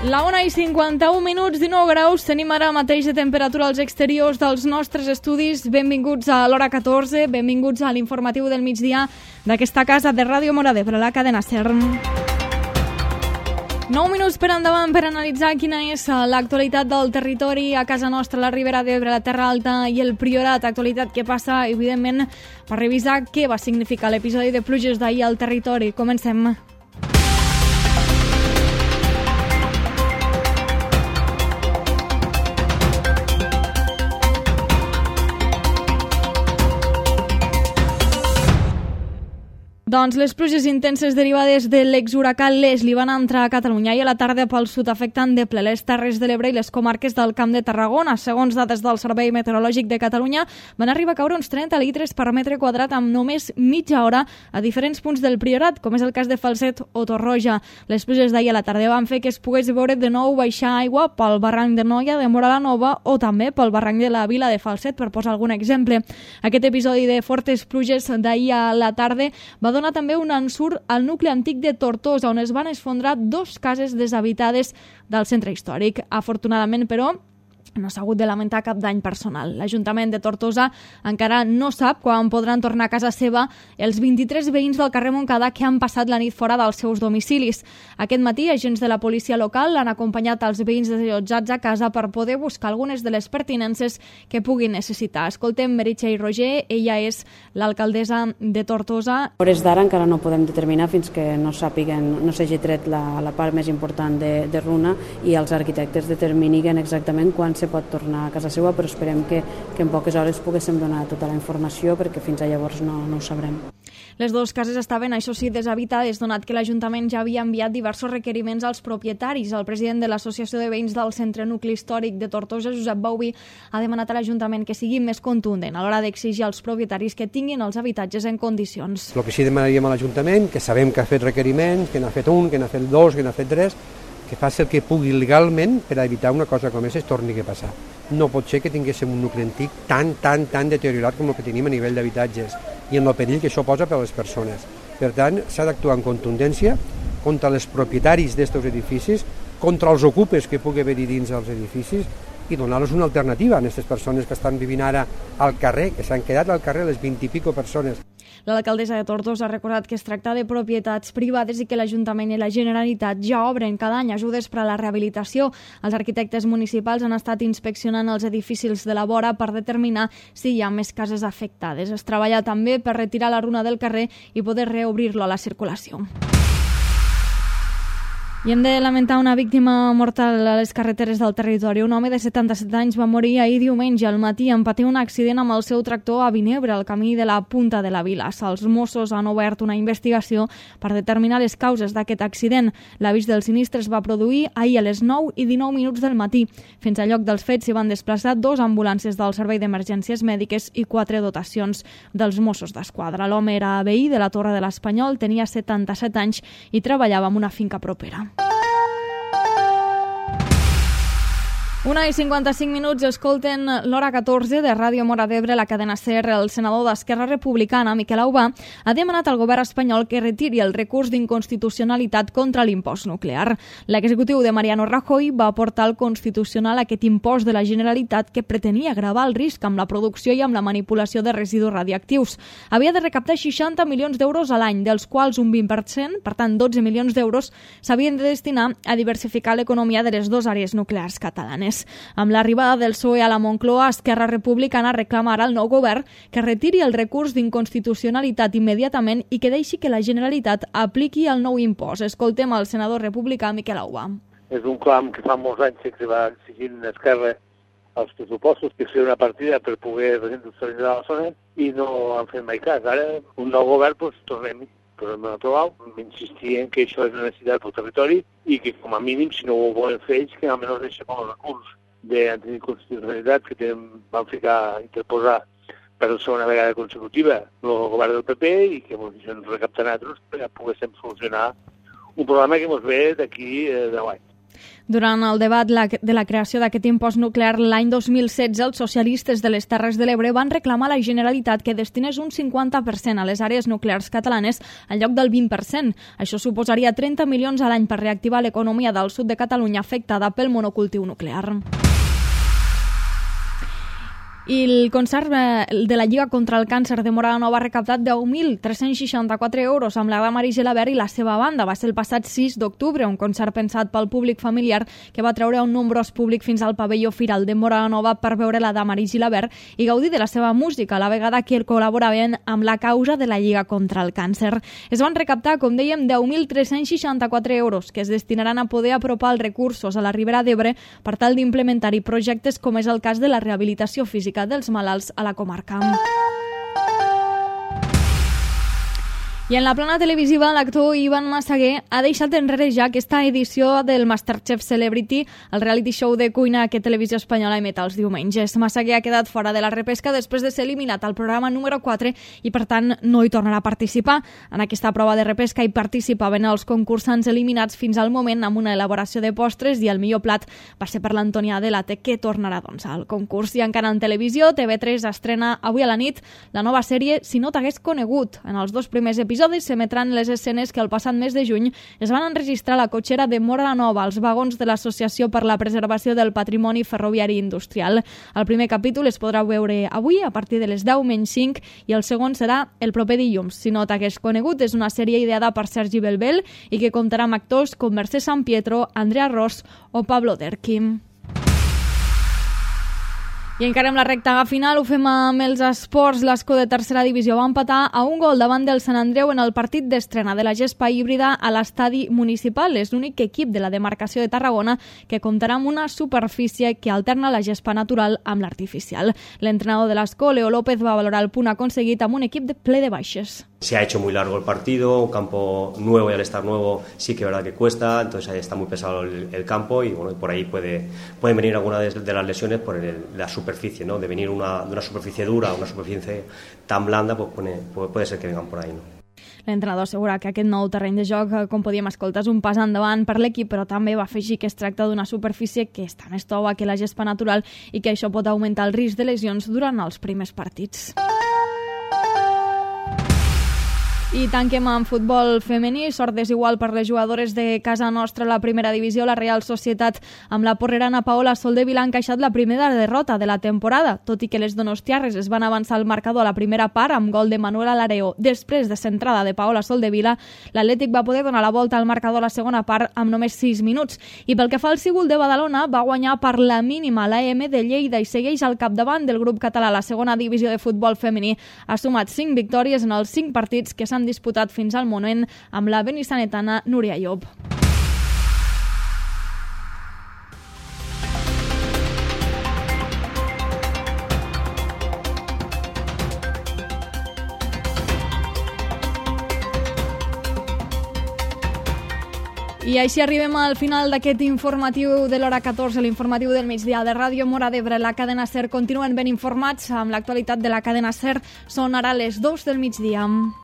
La 1:51, 19 graus, tenim ara mateix de temperatura als exteriors dels nostres estudis. Benvinguts a l'hora 14, benvinguts a l'informatiu del migdia d'aquesta casa de Ràdio Móra d'Ebre, la cadena SER. 9 minuts per endavant per analitzar quina és l'actualitat del territori a casa nostra, la Ribera d'Ebre, la Terra Alta i el Priorat. Actualitat que passa, evidentment, per revisar què va significar l'episodi de pluges d'ahir al territori. Comencem. Doncs les pluges intenses derivades de l'exhuracà Leslie van entrar a Catalunya i a la tarda pel sud afectant de ple les Terres de l'Ebre i les comarques del Camp de Tarragona. Segons dades del Servei Meteorològic de Catalunya, van arribar a caure uns 30 litres per metre quadrat amb només mitja hora a diferents punts del Priorat, com és el cas de Falset o Torroja. Les pluges d'ahir a la tarda van fer que es pogués veure de nou baixar aigua pel barranc de Noia de Móra la Nova o també pel barranc de la Vila de Falset, per posar algun exemple. Aquest episodi de fortes pluges d'ahir a la tarda va donar també un ensurt al nucli antic de Tortosa, on es van esfondrar 2 cases deshabitades del centre històric. Afortunadament, però, no s'ha hagut de lamentar cap dany personal. L'Ajuntament de Tortosa encara no sap quan podran tornar a casa seva els 23 veïns del carrer Montcada que han passat la nit fora dels seus domicilis. Aquest matí, agents de la policia local han acompanyat els veïns desallotjats a casa per poder buscar algunes de les pertinences que puguin necessitar. Escoltem Meritxell Roger, ella és l'alcaldessa de Tortosa. A hores d'ara encara no podem determinar fins que no sàpiguen, no s'hagi tret la part més important de runa i els arquitectes determinin exactament quan se pot tornar a casa seva, però esperem que en poques hores poguéssim donar tota la informació perquè fins a llavors no ho sabrem. Les 2 cases estaven, això sí, deshabitades, donat que l'Ajuntament ja havia enviat diversos requeriments als propietaris. El president de l'Associació de Veïns del Centre Nucli Històric de Tortosa, Josep Bauvi, ha demanat a l'Ajuntament que sigui més contundent a l'hora d'exigir als propietaris que tinguin els habitatges en condicions. El que sí demanaríem a l'Ajuntament, que sabem que ha fet requeriments, que n'ha fet 1, que n'ha fet 2, que n'ha fet 3, que faci el que pugui legalment per evitar una cosa com aquesta es torni a passar. No pot ser que tinguéssim un nucli antic tan deteriorat com el que tenim a nivell d'habitatges i en el perill que això posa per a les persones. Per tant, s'ha d'actuar en contundència contra els propietaris d'aquests edificis, contra els ocupes que pugui haver-hi dins dels edificis i donar-los una alternativa a aquestes persones que estan vivint ara al carrer, que s'han quedat al carrer les 20 i pico persones. L'alcaldessa de Tortosa ha recordat que es tracta de propietats privades i que l'Ajuntament i la Generalitat ja obren cada any ajudes per a la rehabilitació. Els arquitectes municipals han estat inspeccionant els edificis de la vora per determinar si hi ha més cases afectades. Es treballa també per retirar la runa del carrer i poder reobrir-lo a la circulació. I hem de lamentar una víctima mortal a les carreteres del territori. Un home de 77 anys va morir ahir diumenge al matí en patir un accident amb el seu tractor a Vinebre, al camí de la Punta de la Vila. Els Mossos han obert una investigació per determinar les causes d'aquest accident. L'avís del sinistre es va produir ahir a les 9:19 del matí. Fins al lloc dels fets s'hi van desplaçar 2 ambulàncies del Servei d'Emergències Mèdiques i 4 dotacions dels Mossos d'Esquadra. L'home era veí de la Torre de l'Espanyol, tenia 77 anys i treballava en una finca propera. 1:55, escolten l'hora 14 de Ràdio Móra d'Ebre, la cadena SER. El senador d'Esquerra Republicana, Miquel Aubà, ha demanat al govern espanyol que retiri el recurs d'inconstitucionalitat contra l'impost nuclear. L'executiu de Mariano Rajoy va portar al Constitucional aquest impost de la Generalitat que pretenia gravar el risc amb la producció i amb la manipulació de residus radioactius. Havia de recaptar 60 milions d'euros a l'any, dels quals un 20%, per tant 12 milions d'euros, s'havien de destinar a diversificar l'economia de les 2 àrees nuclears catalanes. Amb l'arribada del PSOE a la Moncloa, Esquerra Republicana reclama ara al nou govern que retiri el recurs d'inconstitucionalitat immediatament i que deixi que la Generalitat apliqui el nou impost. Escoltem el senador republicà Miquel Aubà. És un clam que fa molts anys que va exigint Esquerra els pressupostos, que sigui una partida per poder reindustrialitzar la zona i no han fet mai cas. Ara, un nou govern, tornem-hi. Però no trobar, insistir que això és una necessitat pel territori i que com a mínim, si no ho volen fer ells, que almenys deixem el recurs d'anticonstitucionalitat que van ficar a interposar per la segona vegada consecutiva el govern del PP i que ens recapten altres perquè poguéssim solucionar un problema que ens ve d'aquí 10 anys. Durant el debat de la creació d'aquest impost nuclear l'any 2016, els socialistes de les Terres de l'Ebre van reclamar a la Generalitat que destinés un 50% a les àrees nuclears catalanes en lloc del 20%. Això suposaria 30 milions a l'any per reactivar l'economia del sud de Catalunya afectada pel monocultiu nuclear. I el concert de la Lliga contra el Càncer de Móra la Nova ha recaptat 10.364 euros amb la Damaris Gilabert i la seva banda. Va ser el passat 6 d'octubre, un concert pensat pel públic familiar que va treure un nombrós públic fins al pavelló Firal de Móra la Nova per veure la Damaris Gilabert i gaudir de la seva música, a la vegada que col·laboraven amb la causa de la Lliga contra el Càncer. Es van recaptar, com dèiem, 10.364 euros que es destinaran a poder apropar els recursos a la Ribera d'Ebre per tal d'implementar-hi projectes com és el cas de la rehabilitació física dels malalts a la comarca. I en la plana televisiva, l'actor Ivan Massaguer ha deixat enrere ja aquesta edició del Masterchef Celebrity, el reality show de cuina que Televisió Espanyola emet els diumenges. Massaguer ha quedat fora de la repesca després de ser eliminat al programa número 4 i, per tant, no hi tornarà a participar. En aquesta prova de repesca hi participaven els concursants eliminats fins al moment amb una elaboració de postres i el millor plat va ser per l'Antònia Delate, que tornarà al concurs. I encara en televisió, TV3 estrena avui a la nit la nova sèrie Si no t'hagués conegut. En els 2 primers episodis s'emetran les escenes que el passat mes de juny es van enregistrar a la cotxera de Móra la Nova, als vagons de l'Associació per la Preservació del Patrimoni Ferroviari Industrial. El primer capítol es podrà veure avui a partir de les 10:05 i el segon serà el proper dilluns. Si no t'hagués conegut, és una sèrie ideada per Sergi Belbel i que comptarà amb actors com Mercè Sampietro, Andrea Ros o Pablo Derquim. I encara amb la recta final ho fem amb els esports. L'Escó de tercera divisió va empatar a un gol davant del Sant Andreu en el partit d'estrena de la gespa híbrida a l'estadi municipal. És l'únic equip de la demarcació de Tarragona que comptarà amb una superfície que alterna la gespa natural amb l'artificial. L'entrenador de l'Escó, Leo López, va valorar el punt aconseguit amb un equip ple de baixes. Se ha hecho muy largo el partido, un campo nuevo y al estar nuevo sí que es verdad que cuesta, entonces ahí está muy pesado el campo y bueno, por ahí pueden venir algunas de las lesiones por la superficie, ¿no? De venir de una superficie dura a una superficie tan blanda, pues puede ser que vengan por ahí, ¿no? L'entrenador assegura que aquest nou terreny de joc, com podíem escoltar, és un pas endavant per l'equip, però també va afegir que es tracta d'una superfície que està més tova que la gespa natural i que això pot augmentar el risc de lesions durant els primers partits. I tanquem amb futbol femení. Sort desigual per les jugadores de casa nostra a la primera divisió. La Real Societat amb la porrerana Paola Soldevila ha encaixat la primera derrota de la temporada. Tot i que les donostiarres es van avançar al marcador a la primera part amb gol de Manuela Lareo després de centrada de Paola Soldevila, l'Atlètic va poder donar la volta al marcador a la segona part amb només 6 minuts. I pel que fa al Sigul de Badalona, va guanyar per la mínima l'AM de Lleida i segueix al capdavant del grup català. La segona divisió de futbol femení ha sumat 5 victòries en els 5 partits que s'han disputat fins al moment amb la benissanetana Núria Llop. I així arribem al final d'aquest informatiu de l'hora 14, l'informatiu del migdia de Ràdio Móra d'Ebre. La cadena SER continuen ben informats amb l'actualitat de la cadena SER. Són ara les 2 del migdia.